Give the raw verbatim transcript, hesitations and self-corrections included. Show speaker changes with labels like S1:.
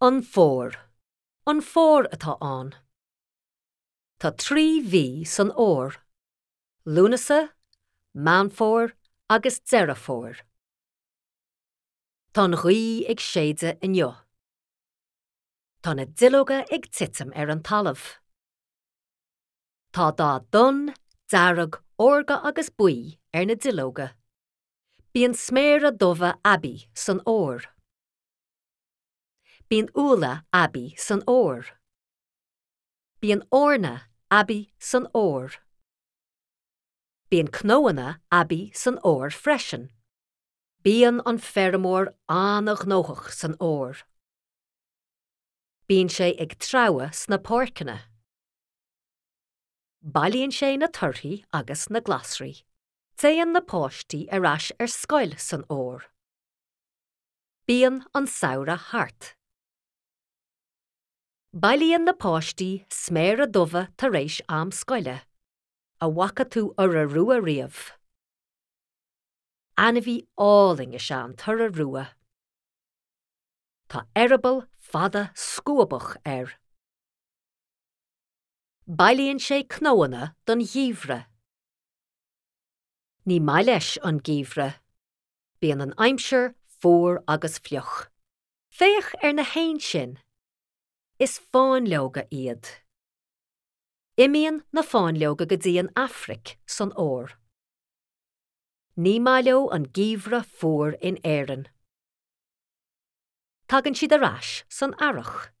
S1: An Fómhar. An fómhar atá ann. Tá trí mhí san fhómhar. Lúnasa, Meán Fómhair agus Deireadh Fómhair. Tá an ghaoth ag séideadh inniu. Tá na duilleoga ag titim ar an talamh. Tá dath donn, dearg, órga agus buí ar na duilleoga. Bíonn sméara dubha aibí san fhómhar. Bíonn úlla aibí san fhómhar. Bíonn eorna aibí san fhómhar. Bíonn cnónna aibí san fhómhar freisin. Bíonn an feirmeoir an-ghnóthach san fhómhar. Bíonn sé ag treabhadh sna páirceanna. Bailíonn sé na torthaí agus na glasraí. Téann na páistí ar ais ar scoil san fhómhar. Bíonn an samhradh thart. Bailíonn na páistí sméara dubha tar éis am scoile. An bhfaca tú iora rua riamh. Ainmhí álainn is ea an t-iora rua. Tá eireaball fada scuabach air. Bailíonn sé cnónna don gheimhreadh. Ní maith leis an geimhreadh. Bíonn an aimsir fuar agus fliuch. Féach ar na héin sin. Is fáinleoga iad. Imíonn na fáinleoga go dtí an Afraic san fhómhar. Ní maith leo an geimhreadh fuar in Éirinn. Tagann siad ar ais san earrach.